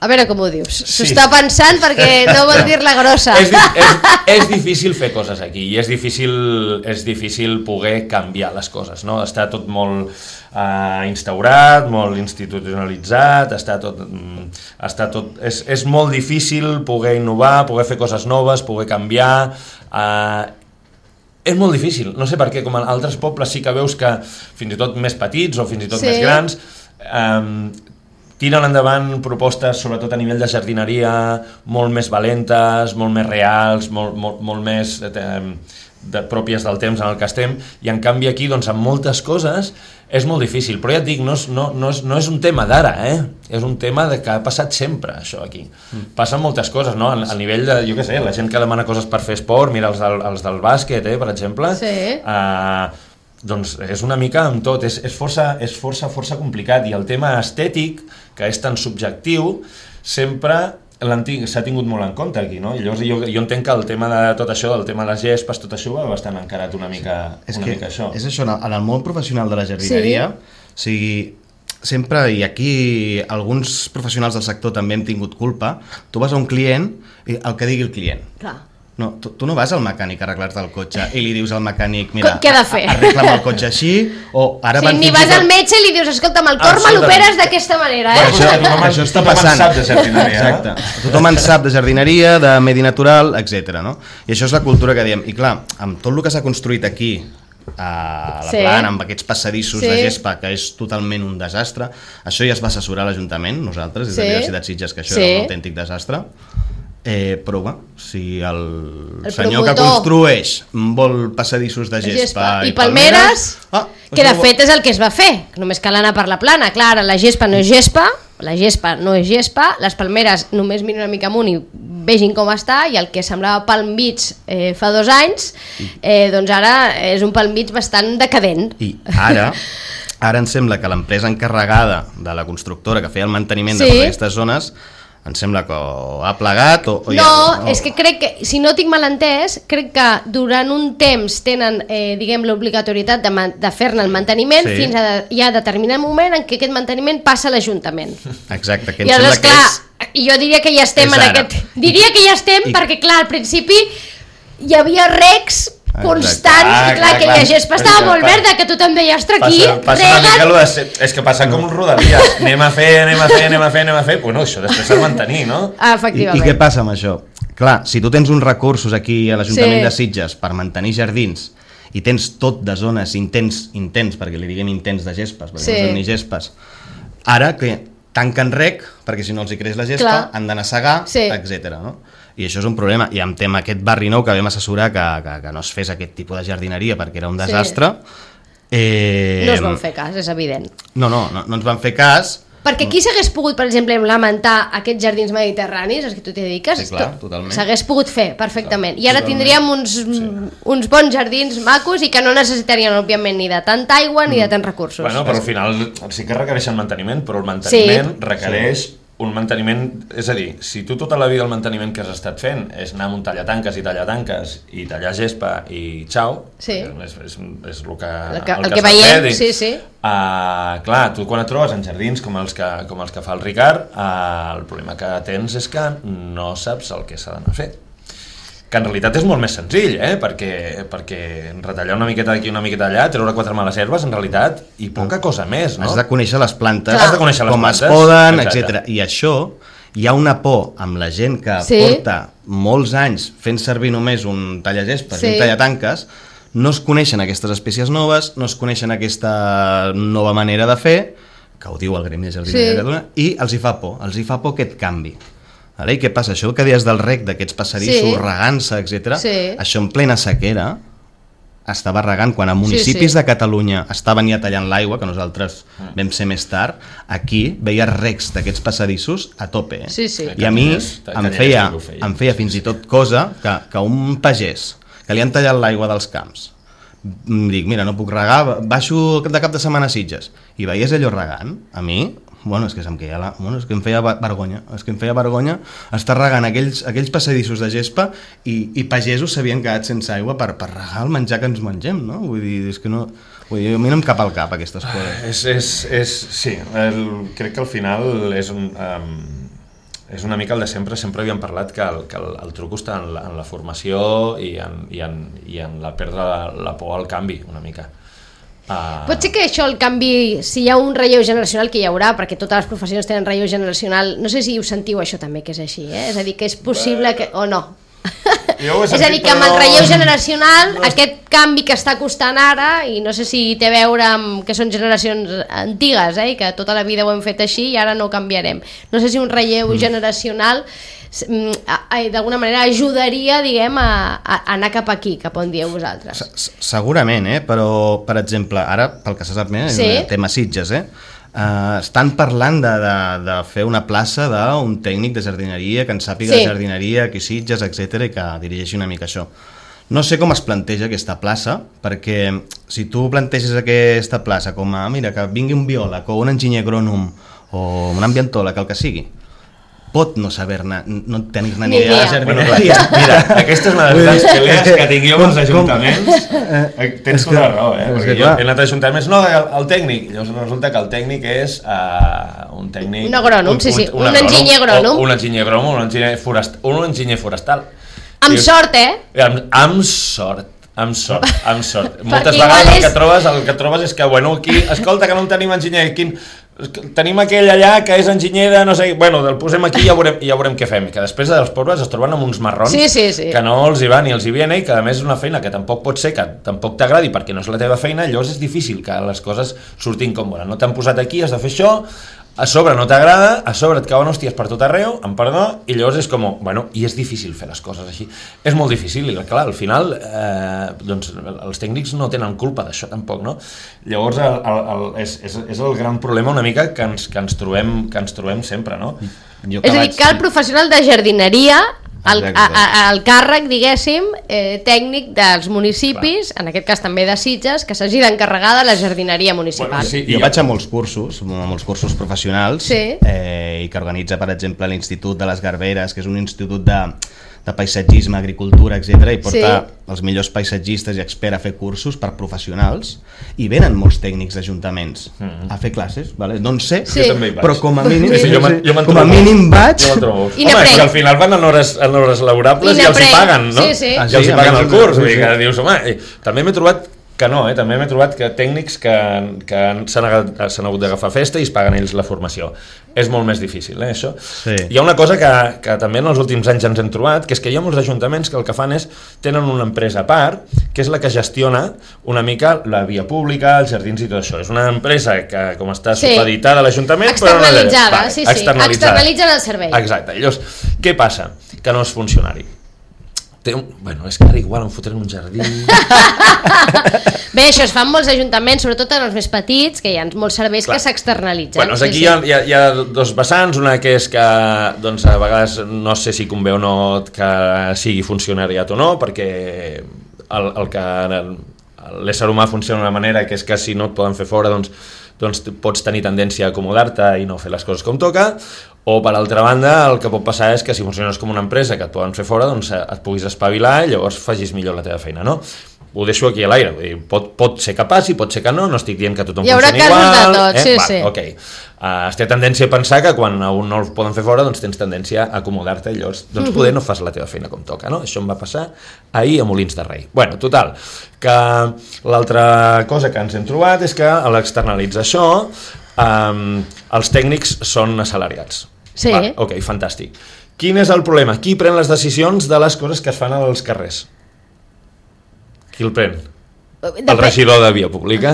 A veure com ho dius. S'ho sí. està pensant perquè no vol dir-la grossa. és, és, és difícil fer coses aquí i és difícil, és difícil poder canviar les coses, no? Està tot molt eh, instaurat, molt institucionalitzat, està tot, està tot, és, és molt difícil poder innovar, poder fer coses noves, poder canviar... Eh, és molt difícil, no sé per què, com en altres pobles sí que veus que fins i tot més petits o fins i tot sí. més grans... Eh, tiren endavant propostes, sobretot a nivell de jardineria, molt més valentes, molt més reals, molt, molt, molt més eh, de, pròpies del temps en el que estem, i en canvi aquí, doncs, amb moltes coses, és molt difícil. Però ja et dic, no és, no, no és, no és un tema d'ara, eh? És un tema de que ha passat sempre, això, aquí. Mm. Passen moltes coses, no? A, a nivell de, jo què sé, la gent que demana coses per fer esport, mira els del, els del bàsquet, eh, per exemple, sí. eh, doncs és una mica amb tot, és, és, força, és força, força complicat, i el tema estètic, que és tan subjectiu, sempre s'ha tingut molt en compte aquí, no? I llavors jo, jo entenc que el tema de tot això, del tema de les gespes, tot això va bastant encarat una mica, és una que, mica això. És això, en el món professional de la jardineria, sí. O sigui, sempre, i aquí alguns professionals del sector també hem tingut culpa, tu vas a un client i el que digui el client. Clar. No, tu, tu no vas al mecànic a arreglar-te el cotxe i li dius al mecànic, mira, què ha de fer? arregla'm el cotxe així, o ara sí, van ni vas al metge i li dius, escolta'm, el cor me l'operes d'aquesta manera, eh? Això, tothom, això està passant. Tothom en sap de jardineria. Exacte. Tothom en sap de jardineria, de medi natural, etcètera. No? I això és la cultura que diem. I clar, amb tot el que s'ha construït aquí, a la sí. plana, amb aquests passadissos sí. de gespa, que és totalment un desastre, això ja es va assessorar l'Ajuntament, nosaltres, des de sí. la Universitat Sitges, que això sí. era un autèntic desastre. Eh, però bé, si el, el senyor promotor que construeix vol passadissos de gespa, gespa. i, i palmeres, palmeres ah, que de fet és el que es va fer, només cal anar per la plana. Clar, la gespa no és gespa, la gespa no és gespa, les palmeres només miren una mica amunt i vegin com està, i el que semblava Palm Beach eh, fa dos anys, eh, doncs ara és un Palm Beach bastant decadent. I ara... Ara em sembla que l'empresa encarregada de la constructora que feia el manteniment sí. de totes aquestes zones, em sembla que ha plegat o, o no, ja, no, és que crec que, si no tinc mal entès, crec que durant un temps tenen, eh, diguem, l'obligatorietat de, de fer-ne el manteniment sí. fins a de, ja a determinat moment en què aquest manteniment passa a l'Ajuntament. Exacte, que em I sembla doncs, que clar, és... I jo diria que ja estem en ara. aquest... Diria que ja estem I... perquè, clar, al principi hi havia recs constants, ah, i clar, clar, que la gespa estava molt clar. verda, que tothom deia, ostres, aquí passa, passa una mica de ser, és que passa com un rodalies, anem a fer, anem a fer, anem a fer, anem a fer, bueno, això després s'ha de mantenir, no? Ah, efectivament. I, I què passa amb això? Clar, si tu tens uns recursos aquí a l'Ajuntament sí. de Sitges per mantenir jardins i tens tot de zones intens, intens, perquè li diguem intens de gespes, perquè sí. no són ni gespes, ara que tanquen rec, perquè si no els hi creix la gespa, clar. han d'anar a segar, sí. etcètera. No? I això és un problema, i amb tema aquest barri nou que vam assessorar que, que, que no es fes aquest tipus de jardineria perquè era un desastre. Sí. Eh... No es van fer cas, és evident. No, no, no, no ens van fer cas. Perquè qui s'hagués pogut, per exemple, lamentar aquests jardins mediterranis, els que tu t'hi dediques? Sí, clar, totalment. S'hagués pogut fer perfectament. I ara tindríem uns, sí. uns bons jardins macos i que no necessitarien, òbviament, ni de tanta aigua ni de tants recursos. Bueno, però al final sí que requereixen manteniment, però el manteniment sí. requereix... Sí. un manteniment, és a dir, si tu tota la vida el manteniment que has estat fent és anar amb un tallatanques i tallatanques i tallar gespa i xau, sí. és, és, és el que, el que, el el que, que veiem, fet, sí, sí. Uh, clar, tu quan et trobes en jardins com els que, com els que fa el Ricard, uh, el problema que tens és que no saps el que s'ha d'anar a fer. Que en realitat és molt més senzill, eh? perquè, perquè retallar una miqueta d'aquí, una miqueta allà, treure quatre males herbes, en realitat, i poca cosa més, no? Has de conèixer les plantes, Has de conèixer les com plantes, es poden, etcètera. I això, hi ha una por amb la gent que sí. porta molts anys fent servir només un tallagespes sí. i un tallatanques, no es coneixen aquestes espècies noves, no es coneixen aquesta nova manera de fer, que ho diu el Gremi de Jardineria de Catalunya, i els hi fa por, els hi fa por aquest canvi. I què passa? Això que deies del rec, d'aquests passadissos, sí. regant-se, etcètera, sí. això en plena sequera estava regant, quan a municipis Sí, sí. de Catalunya estaven ja tallant l'aigua, que nosaltres vam ser més tard, aquí veies recs d'aquests passadissos a tope. Eh? Sí, sí. I a mi Canyelles, em Canyelles feia, sí que ho feia. em feia fins i tot cosa que, que un pagès que li han tallat l'aigua dels camps, em dic, mira, no puc regar, baixo de cap de setmana a Sitges, i veies allò regant, a mi... Bueno, és que, em queia la... bueno, és que em feia vergonya, és que em feia vergonya estar regant aquells, aquells passadissos de gespa i, i pagesos s'havien quedat sense aigua per, per regar el menjar que ens mengem, no? Vull dir, és que no... Vull dir, a mi no em cap al cap aquestes coses. És, és, és, sí, el, crec que al final és un, um, és una mica el de sempre, sempre havíem parlat que el, que el, el truc està en la, en la formació i en, i en, i en la perdre la, la por al canvi, una mica. Uh... Pot ser que això, el canvi, si hi ha un relleu generacional, que hi haurà, perquè totes les professions tenen relleu generacional, no sé si ho sentiu això també, que és així, eh? És a dir, que és possible que... o no. Jo ho he sentit, és a dir, que amb el però- relleu generacional, no... aquest canvi que està costant ara, i no sé si té a veure amb que són generacions antigues, eh? I que tota la vida ho hem fet així i ara no ho canviarem. No sé si un relleu mm. generacional d'alguna manera ajudaria, diguem, a, a anar cap aquí, cap on dieu vosaltres. Se- Segurament, eh? Però, per exemple, ara, pel que se sap més, Sí. el tema Sitges, eh? Uh, estan parlant de, de, de fer una plaça d'un tècnic de jardineria que en sàpiga Sí. de jardineria, aquí Sitges, etcètera, i que dirigeixi una mica això. No sé com es planteja aquesta plaça, perquè si tu planteges aquesta plaça com a, mira, que vingui un biòleg o un enginyer agrònom o un ambientòleg, el que sigui, pot no saber-ne, no tenir-ne Ni ni idea de idea. Bueno, jardineria. clar, mira, aquesta és una de les grans pelees que tinc jo amb els ajuntaments. Eh, Tens És tota la que- raó, eh? és Perquè que jo clar. he anat a ajuntaments, no, el, el tècnic. Llavors resulta que el tècnic és uh, un tècnic... Un agrònom, sí, sí, un enginyer agrònom. O un enginyer agrònom, un enginyer, forest, un enginyer forestal. Amb I- sort, eh? Amb, amb sort. Amb sort, amb sort. Moltes igual vegades el és- que trobes, el que trobes és que, bueno, aquí, escolta, que no en tenim enginyer, quin, tenim aquell allà que és enginyer de no sé, bueno, el posem aquí i ja veurem, i ja veurem què fem, que després dels pobles es troben amb uns marrons Sí, sí, sí. que no els hi va ni els hi viene i que a més és una feina que tampoc pot ser, que tampoc t'agradi perquè no és la teva feina, llavors és difícil que les coses surtin com volen. No t'han posat aquí, has de fer això, a sobre no t'agrada, a sobre et cauen hòsties per tot arreu, amb perdó, i llavors és com, bueno, i és difícil fer les coses així. És molt difícil, i clar, al final, eh, doncs, els tècnics no tenen culpa d'això tampoc, no? Llavors, el, el, el, és, és, és el gran problema una mica que ens, que ens, trobem, que ens trobem sempre, no? Jo És a dir, vaig- que el professional de jardineria, el, Exacte. a, a, el càrrec, diguéssim, eh, tècnic dels municipis, Clar. en aquest cas també de Sitges, que s'hagi d'encarregar de la jardineria municipal. Bueno, sí. Jo I- vaig a molts cursos, a molts cursos professionals, Sí. eh, i que organitza, per exemple, l'Institut de les Garberes, que és un institut de, de paisatgisme, agricultura, etcètera, i porta Sí. els millors paisatgistes i experts a fer cursos per professionals, i venen molts tècnics d'ajuntaments Mhm. a fer classes, vale? no en sé, Sí. Jo també hi vaig. però com a mínim, Sí. Sí, jo me'n- jo me'n com a trobo. mínim vaig... Jo me'n trobo. I Home, n'aprèn. és que al final van en hores, en hores laborables I i, els hi n'aprèn. paguen, no? Sí, sí. I Ah, els sí, hi paguen a el més, curs, sí, vull dir sí. que dius, home, i també m'he trobat que no, eh? també m'he trobat que tècnics que, que s'han agat- s'han hagut d'agafar festa i es paguen ells la formació. És molt més difícil, eh, això. Sí. Hi ha una cosa que, que també en els últims anys ens hem trobat, que és que hi ha molts ajuntaments que el que fan és, tenen una empresa a part, que és la que gestiona una mica la via pública, els jardins i tot això. És una empresa que, com està Sí. supeditada a l'Ajuntament, Externalitzada, però no, sí, sí. Externalitzen el servei. Exacte. Llavors, què passa? Que no és funcionari. Té un... Bueno, és que ara igual em fotrem un jardí... Bé, això es fa en molts ajuntaments, sobretot en els més petits, que hi ha molts serveis Clar. que s'externalitzen. Bueno, aquí hi ha, hi, ha, hi ha dos vessants, una que és que doncs, a vegades no sé si convé o no que sigui funcionariat o no, perquè el, el que l'ésser humà funciona d'una manera que és que si no et poden fer fora doncs, doncs pots tenir tendència a acomodar-te i no fer les coses com toca, o per altra banda el que pot passar és que si funciones com una empresa que et poden fer fora doncs et puguis espavilar i llavors facis millor la teva feina, no? Ho deixo aquí a l'aire, vull dir, pot, pot ser que passi, pot ser que no, no estic dient que tothom Hi haurà funcioni casos igual, de tot, eh? sí, Va, sí. Ok, uh, es té tendència a pensar que quan a un no el poden fer fora doncs tens tendència a acomodar-te i llavors doncs, poder no fas la teva feina com toca, no? Això em va passar ahir a Molins de Rei. Bueno, total, que l'altra cosa que ens hem trobat és que a l'externalitzar això um, els tècnics són assalariats. Sí. Va, ok, fantàstic. Quin és el problema? Qui pren les decisions de les coses que es fan als carrers? Qui el pren? El regidor de via pública.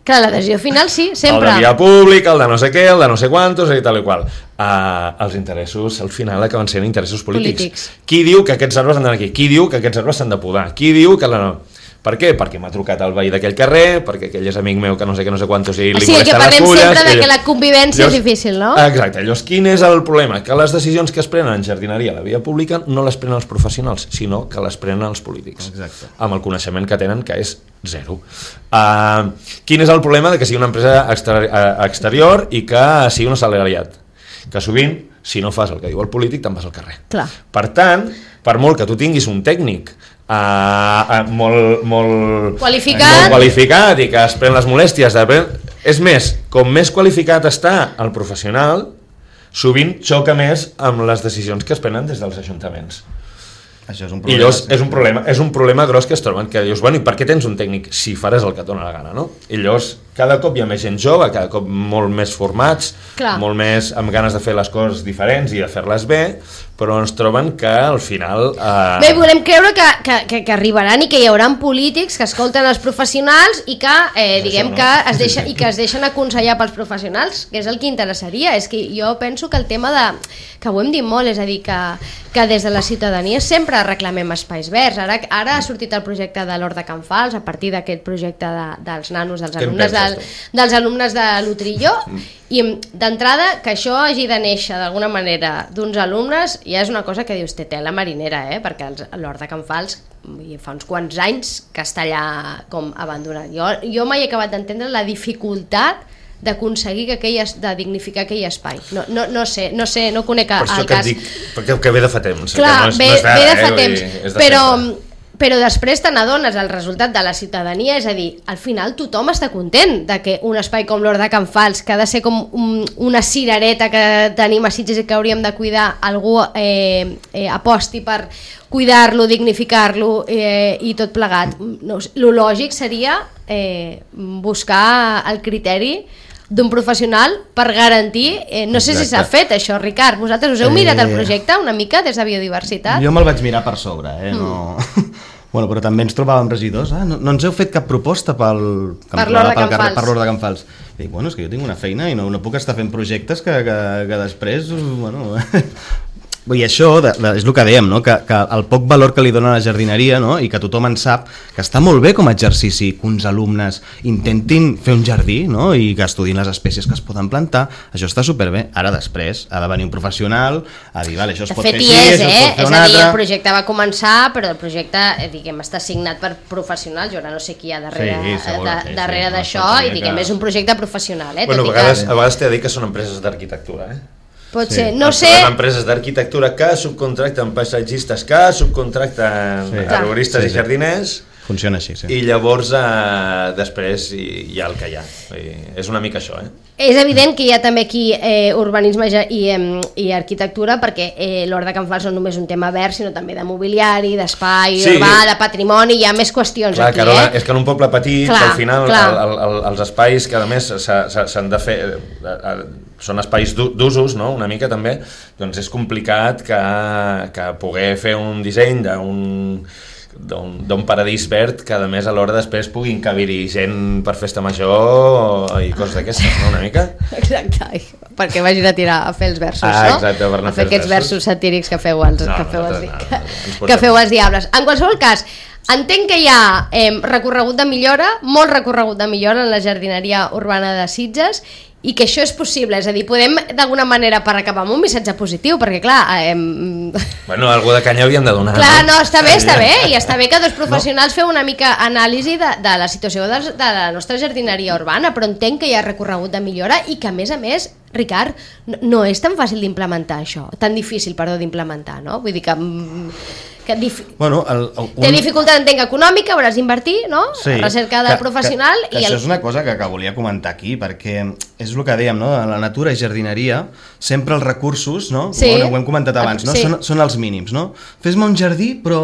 Clar, l'adhesió final sí, sempre. El de via pública, el de no sé què, el de no sé quantos i tal i qual. Uh, els interessos, al final, acaben sent interessos polítics. Polítics. Qui diu que aquests arbres han d'anar aquí? Qui diu que aquests arbres s'han de podar? Qui diu que la no? Per què? Perquè m'ha trucat el veí d'aquell carrer, perquè aquell és amic meu que no sé què, no sé quantos, i li o sigui, molesten les fulles... O sigui, que parlem sempre de que ell... la convivència llavors, és difícil, no? Exacte, llavors quin és el problema? Que les decisions que es prenen en jardineria a la via pública no les prenen els professionals, sinó que les prenen els polítics. Exacte. Amb el coneixement que tenen, que és zero. Uh, quin és el problema de que sigui una empresa exter exterior i que sigui un assalariat? Que sovint, si no fas el que diu el polític, te'n vas al carrer. Clar. Per tant, per molt que tu tinguis un tècnic uh, uh, molt, molt, qualificat. molt qualificat i que es pren les molèsties de... És més, com més qualificat està el professional, sovint xoca més amb les decisions que es prenen des dels ajuntaments. Això és un I problema. llavors és un problema, és un problema gros que es troben, que dius, bueno, i per què tens un tècnic si faràs el que et dona la gana, no? I llavors cada cop hi ha més gent jove, cada cop molt més formats, Clar. molt més amb ganes de fer les coses diferents i de fer-les bé, però ens troben que al final... Eh... Bé, volem creure que, que, que, que arribaran i que hi haurà polítics que escolten els professionals i que, eh, diguem, això, no? que es deixa, i que es deixen aconsellar pels professionals, que és el que interessaria. És que jo penso que el tema de... que ho hem dit molt, és a dir, que, que des de la ciutadania sempre reclamem espais verds. Ara, ara ha sortit el projecte de l'Hort de Can Fals, a partir d'aquest projecte de, dels nanos, dels alumnes, del, dels alumnes de l'Utrilló, i d'entrada que això hagi de néixer d'alguna manera d'uns alumnes ja és una cosa que dius, té tela marinera, eh? Perquè l'Hort de Can Fals fa uns quants anys que està allà com abandonat. Jo, jo mai he acabat d'entendre la dificultat d'aconseguir que aquell, de dignificar aquell espai. No, no, no sé, no sé, no conec el cas. Per això que et dic, perquè que ve de fa temps. Clar, que no és, ve, no és vera, ve de fa eh? temps, de però... sempre. Però després te n'adones el resultat de la ciutadania, és a dir, al final tothom està content de que un espai com l'Hort de Can Fals, que ha de ser com un, una cirereta que tenim a Sitges i que hauríem de cuidar, algú eh, eh, aposti per cuidar-lo, dignificar-lo eh, i tot plegat. No, lo lògic seria eh, buscar el criteri d'un professional per garantir, eh, no sé Exacte. si s'ha fet això, Ricard, vosaltres us heu mirat el projecte una mica des de biodiversitat? Jo me'l vaig mirar per sobre, eh? No... Mm. Bueno, però també ens trobàvem regidors, ah, no, no ens heu fet cap proposta pel, per l'Hort de Can Fals. Per l'Hort de Can Fals. I dic, bueno, és que jo tinc una feina i no, no puc estar fent projectes que, que, que després, bueno... I això de, de, és el que dèiem, no? que, que el poc valor que li dona a la jardineria, no? I que tothom en sap, que està molt bé com a exercici que uns alumnes intentin fer un jardí, no? I que estudin les espècies que es poden plantar, això està superbé. Ara després ha de venir un professional a dir, vale, això es de pot fet, fer així, és, això eh? es pot fer és una a dir, altra... el projecte va començar, però el projecte eh, diguem, està signat per professionals, jo ara no sé qui hi ha darrere, sí, segur, de, sí, darrere sí, d'això, no, i diguem, que... és un projecte professional. Eh? Bueno, a Tot vegades, que... a vegades t'he de dir que són empreses d'arquitectura, eh? Pot sí. ser, no Ens sé... trobem empreses d'arquitectura que subcontracten paisatgistes, que subcontracten sí. arboristes sí, sí. i jardiners. Funciona així, sí. I llavors eh, després hi, hi ha el que hi ha. I és una mica això, eh? És evident que hi ha també aquí eh, urbanisme i, eh, i arquitectura, perquè eh, l'Hort de Can Fals no només un tema verd, sinó també de mobiliari, d'espai sí. urbà, de patrimoni, hi ha més qüestions clar, aquí. Carola, eh? és que en un poble petit, clar, al final clar. el, el, els espais que a més s'han de fer... Eh, eh, són espais d'usos, no? Una mica també, doncs és complicat que, que poder fer un disseny d'un d'un paradís verd que a més alhora després puguin cabir-hi gent per festa major i coses d'aquestes, no? Una mica? Exacte, perquè vagin a tirar a fer els versos, ah, no? Exacte, per a fer aquests versos. versos satírics que feu els, no, que feu no, els, no, no, que, no, que feu els diables. En qualsevol cas, entenc que hi ha eh, recorregut de millora, molt recorregut de millora en la jardineria urbana de Sitges, i que això és possible, és a dir, podem d'alguna manera per acabar amb un missatge positiu, perquè clar... Eh... Bueno, algú de canya hauríem de donar. Clar, no, està bé, està bé, i està bé que dos professionals no. feu una mica anàlisi de, de la situació de, de la nostra jardineria urbana, però entenc que hi ha recorregut de millora i que a més a més, Ricard, no, no és tan fàcil d'implementar això, tan difícil, perdó, d'implementar, no? Vull dir que... que dif... bueno, el, el, un... té dificultat, entenc, econòmica, hauràs d'invertir, no? Sí, recerca de que, professional que, que i això el... és una cosa que, que volia comentar aquí, perquè és el que dèiem, no? En la natura i jardineria sempre els recursos, no? Sí. Bueno, ho hem comentat abans, no? Sí. Són, són els mínims, no? Fes-me un jardí, però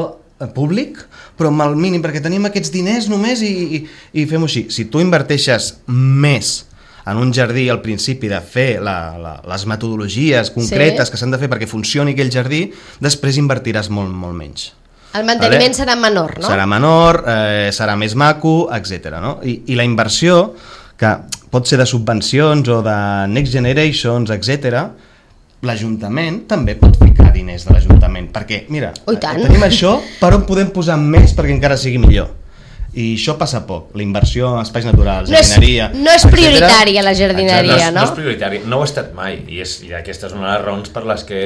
públic, però amb el mínim, perquè tenim aquests diners només i, i, i fem-ho així. Si tu inverteixes més en un jardí al principi de fer la, la, les metodologies concretes sí. que s'han de fer perquè funcioni aquell jardí, després invertiràs molt, molt menys. El manteniment vale? serà menor, no? Serà menor, eh, serà més maco, etcètera. No? I, I la inversió, que pot ser de subvencions o de Next Generations, etcètera, l'Ajuntament també pot ficar diners de l'Ajuntament, perquè, mira, oh, tenim això, per on podem posar més perquè encara sigui millor? I això passa poc, la inversió en espais naturals, no és, jardineria... No és prioritària la jardineria, Exacte, no? no? No és prioritari, no ho ha estat mai, i, és, i aquesta és una de les raons per les que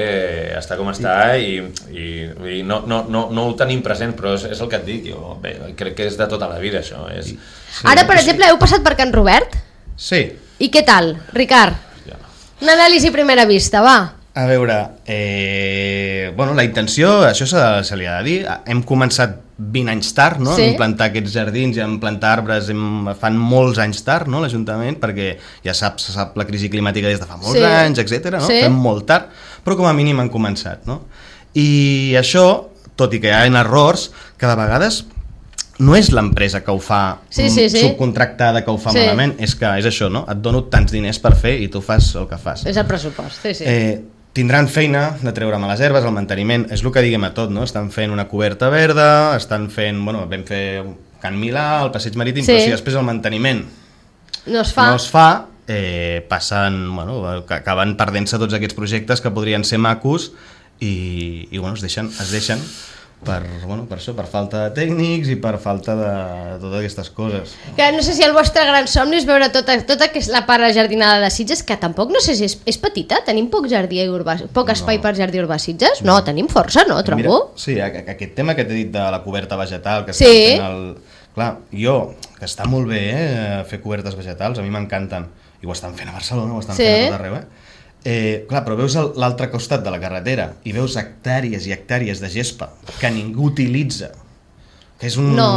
està com està i, i, i no, no, no, no ho tenim present, però és, és el que et dic, jo bé, crec que és de tota la vida això. És... Sí, Ara, per exemple, heu passat per Can Robert? Sí. I què tal, Ricard? Ja. Una anàlisi a primera vista, va. A veure, eh, bueno, la intenció, això se, se li ha de dir, hem començat vint anys tard, no? Sí. En plantar aquests jardins i en plantar arbres hem, fan molts anys tard, no? L'Ajuntament, perquè ja sap, se sap la crisi climàtica des de fa molts sí. anys, etcètera. No? Sí. Fem molt tard, però com a mínim han començat, no? I això, tot i que hi ha errors, que de vegades no és l'empresa que ho fa sí, sí, sí. subcontractada que ho fa sí. malament, és que és això, no? Et dono tants diners per fer i tu fas el que fas. És el pressupost, sí, sí. Eh, tindran feina de treure males herbes, el manteniment, és el que diguem a tot, no? Estan fent una coberta verda, estan fent, bueno, vam fer Can Milà, el passeig marítim, sí. Però si després el manteniment no es fa, no es fa eh, passen, bueno, acaben perdent-se tots aquests projectes que podrien ser macos i, i bueno, es deixen, es deixen per, bueno, per això, per falta de tècnics i per falta de totes aquestes coses. Que no sé si el vostre gran somni és veure tota, tota la part jardinada de Sitges, que tampoc no sé si és, és petita, tenim poc jardí urbà, poc espai no. per jardí urbà Sitges? No, no, tenim força, no, trobo? Mira, sí, aquest tema que t'he dit de la coberta vegetal, que sí. estan fent el... Clar, jo, que està molt bé eh, fer cobertes vegetals, a mi m'encanten, i ho estan fent a Barcelona, ho estan sí. fent a tot arreu, eh? Eh, clar, però veus l'altre costat de la carretera i veus hectàrees i hectàrees de gespa que ningú utilitza, que, és un, no.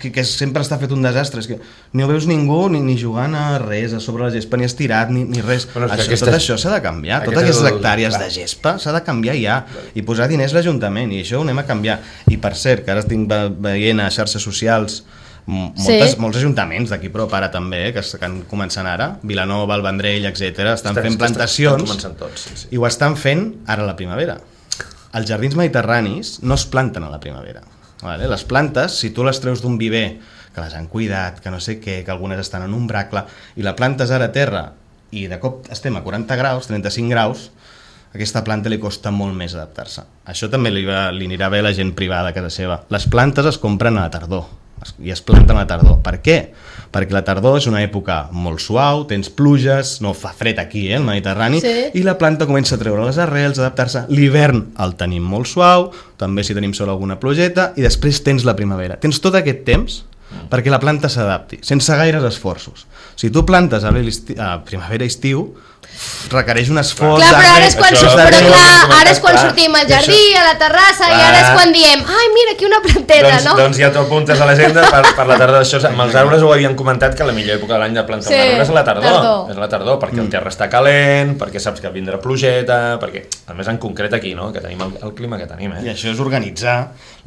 que, que sempre està fet un desastre, és que no veus ningú ni, ni jugant a res, a sobre la gespa, ni estirat, ni, ni res. Bueno, això, tot això s'ha de canviar, totes aquestes el... hectàrees clar. de gespa s'ha de canviar ja, i posar diners a l'Ajuntament, i això ho anem a canviar. I per cert, que ara estic veient a xarxes socials moltes, sí. molts ajuntaments d'aquí prop ara també, eh, que estan començant ara, Vilanova, el Vendrell, etcètera, estan estan fent plantacions estan tots, sí, sí. i ho estan fent ara a la primavera. Els jardins mediterranis no es planten a la primavera, vale? Les plantes, si tu les treus d'un viver que les han cuidat, que no sé què, que algunes estan en un bracle, i la plantes ara a terra i de cop estem a quaranta graus, trenta-cinc graus, a aquesta planta li costa molt més adaptar-se. Això també li, va, li anirà bé a la gent privada a casa seva. Les plantes es compren a la tardor i es planten a la tardor. Per què? Perquè la tardor és una època molt suau, tens pluges, no fa fred aquí, eh, al Mediterrani, sí. i la planta comença a treure les arrels, a adaptar-se. L'hivern el tenim molt suau, també si tenim sol alguna plogeta, i després tens la primavera. Tens tot aquest temps perquè la planta s'adapti, sense gaires esforços. Si tu plantes a, a primavera-estiu, requereix un esforç. Clar, però ara és quan, això, però clar, ara és quan clar, sortim al jardí, això, a la terrassa, clar. I ara és quan diem, ai, mira, aquí una planteta, doncs, no? Doncs ja t'ho apuntes a l'agenda per, per la tardor. Això, amb els arbres ho havien comentat, que la millor època de l'any de plantar sí, un arbre és la tardor. tardor. És la tardor, perquè mm. el terra està calent, perquè saps que vindrà plogeta, perquè, a més en concret aquí, no?, que tenim el, el clima que tenim. Eh? I això és organitzar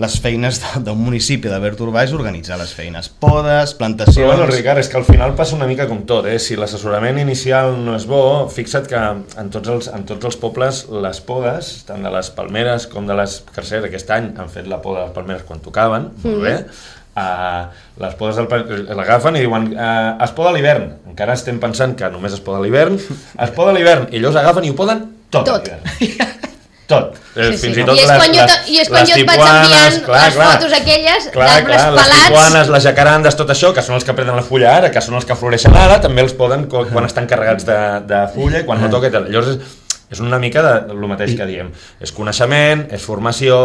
les feines d'un municipi de verd urbà, és organitzar les feines. Podes, plantacions... Però bueno, Ricard, és que al final passa una mica com tot, eh? Si l'assessorament inicial no és bo, fixa't que en tots els, en tots els pobles les podes, tant de les palmeres com de les carceres, aquest any han fet la poda de les palmeres quan tocaven, mm. molt bé, uh, les podes l'agafen i diuen uh, es poda a l'hivern, encara estem pensant que només es poda a l'hivern, es poda a l'hivern i llavors agafen i ho poden tot, tot. a l'hivern. Tot. Sí, sí. Fins i tot I és les, quan jo, les, i és quan jo et vaig enviant clar, les clar, fotos aquelles d'arbres pelats. Les tipuanes, les jacarandes, tot això, que són els que prenen la fulla ara, que són els que floreixen ara, també els poden quan estan carregats de, de fulla i quan no toca. Llavors és, és una mica de, el mateix que diem. És coneixement, és formació,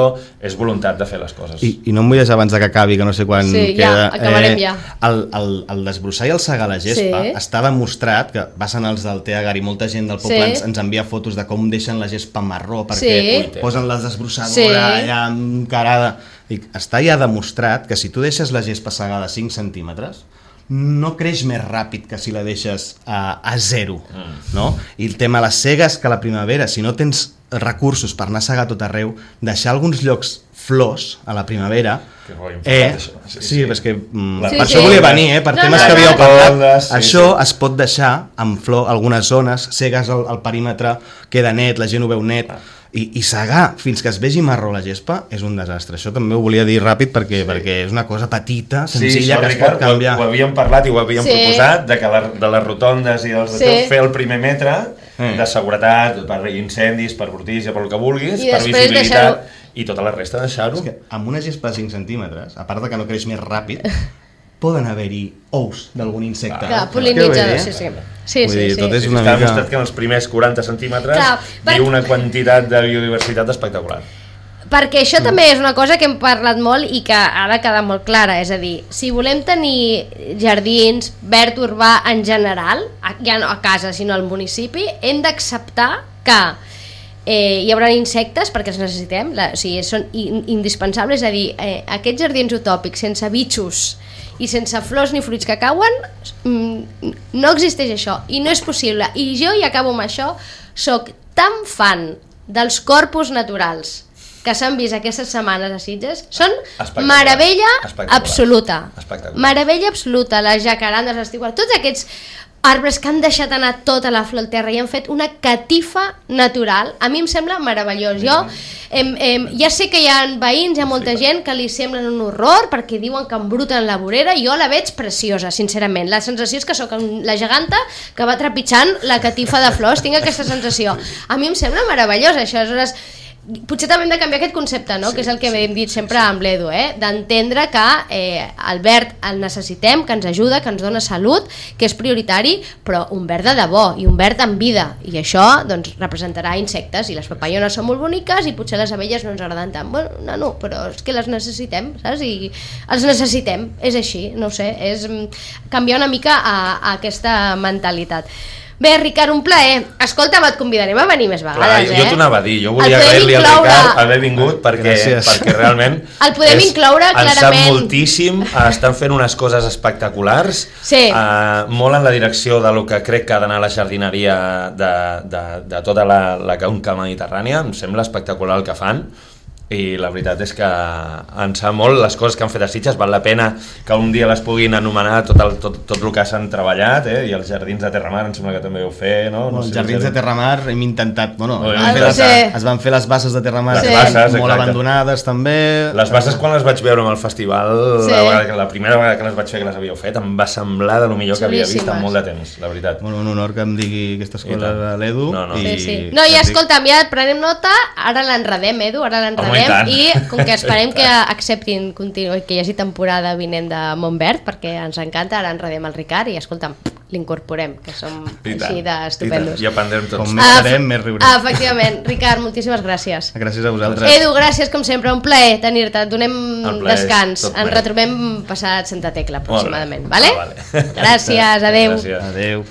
és voluntat de fer les coses. I, i no em vull deixar abans que acabi, que no sé quan sí, queda. Ja, acabarem eh, ja. El, el, el desbrossar i el segar la gespa sí. està demostrat, que passen els del Teagar i molta gent del poble sí. ens, ens envia fotos de com deixen la gespa marró, perquè sí. posen la desbrossadora sí. allà encarada. I està ja demostrat que si tu deixes la gespa segada a cinc centímetres, no creix més ràpid que si la deixes a, a zero, mm. no? I el tema de les segues, que a la primavera, si no tens recursos per anar a segar tot arreu, deixar alguns llocs flors a la primavera, que eh, això. Sí, sí, sí. és que mm, sí, per sí. això volia venir, eh, per no, temes no, que havíeu no, parlat, no. Sí, això sí. es pot deixar amb flor algunes zones, segues el, el perímetre, queda net, la gent ho veu net, ah. I, i segar fins que es vegi marró la gespa és un desastre. Això també ho volia dir ràpid perquè, sí. perquè és una cosa petita, senzilla, sí, que es pot canviar. Ho, ho havíem parlat i ho havíem sí. proposat, de, que la, de les rotondes i dels sí. fer el primer metre mm. de seguretat, per incendis, per brutícia, per el que vulguis, I per visibilitat, i tota la resta deixar-ho. És que amb una gespa de cinc centímetres, a part de que no creix més ràpid, poden haver-hi ous d'algun insecte. Clar, pol·linitzador, sí, sí. Sí, Vull sí, dir, sí. tot és una Està mica... demostrat que en els primers quaranta centímetres Clar, per- hi ha una quantitat de biodiversitat espectacular. Perquè això també és una cosa que hem parlat molt i que ha de quedar molt clara, és a dir, si volem tenir jardins, verd urbà en general, ja no a casa sinó al municipi, hem d'acceptar que eh, hi haurà insectes perquè els necessitem, la, o sigui, són in, indispensables, és a dir, eh, aquests jardins utòpics sense bitxos i sense flors ni fruits que cauen, mm, no existeix això i no és possible. I jo, i acabo amb això, soc tan fan dels corpus naturals que s'han vist aquestes setmanes a Sitges, són meravella absoluta. Meravella absoluta, les jacarandes, les tiguares, tots aquests arbres que han deixat anar tota la flor al terra i han fet una catifa natural, a mi em sembla meravellós. Jo em, em, ja sé que hi ha veïns, hi ha molta gent que li semblen un horror perquè diuen que embruten la vorera, jo la veig preciosa, sincerament. La sensació és que sóc la geganta que va trepitjant la catifa de flors, tinc aquesta sensació. A mi em sembla meravellós això, aleshores potser també hem de canviar aquest concepte, no? Sí, que és el que sí, hem dit sempre sí, amb l'Edu, eh? D'entendre que eh, el verd el necessitem, que ens ajuda, que ens dona salut, que és prioritari, però un verd de debò i un verd amb vida, i això doncs, representarà insectes, i les papallones són molt boniques i potser les abelles no ens agraden tant, bueno, no, no, però és que les necessitem, saps? I els necessitem, és així, no ho sé, és canviar una mica a, a aquesta mentalitat. Bé, Ricard, un plaer. Escolta'm, et convidarem a venir més vegades, Clar, eh? Jo t'ho anava a dir, jo volia agrair-li al Ricard haver vingut perquè, perquè realment el podem és, incloure clarament. Ens sap moltíssim, estan fent unes coses espectaculars, sí. uh, molt en la direcció de lo que crec que ha d'anar la jardineria de, de, de tota la, la conca mediterrània, em sembla espectacular el que fan. I la veritat és que ens sap molt les coses que han fet a Sitges, val la pena que un dia les puguin anomenar tot el, tot, tot el que s'han treballat, eh? I els jardins de Terramar em sembla que també heu fet, no? no, no els sé, jardins de Terramar hem intentat, bueno, no, es, van les, sí. es van fer les basses de Terramar les sí. basses, molt exacte. abandonades també. Les basses quan les vaig veure amb el festival, sí. la, vegada, la primera vegada que les vaig fer que les havíeu fet, em va semblar de lo millor que havia vist en molt de temps, la veritat. Bueno, un honor que em digui aquestes coses a l'Edu. No, no. I, sí, sí. no, i escolta'm, ja et prenem nota, ara l'enredem, Edu, ara l'enredem, i com que esperem que acceptin continu, que hi hagi temporada vinent de Montverd, perquè ens encanta, ara enredem el Ricard i escolta'm, l'incorporem, que som així d'estupendos. I aprendrem tots. Com més farem, més riurem. Efectivament. Ricard, moltíssimes gràcies. Gràcies a vosaltres. Edu, gràcies com sempre, un plaer tenir-te, et donem descans. Ens retrobem passat Santa Tecla aproximadament, vale? Ah, vale. Gràcies, adeu. Gràcies. Adeu.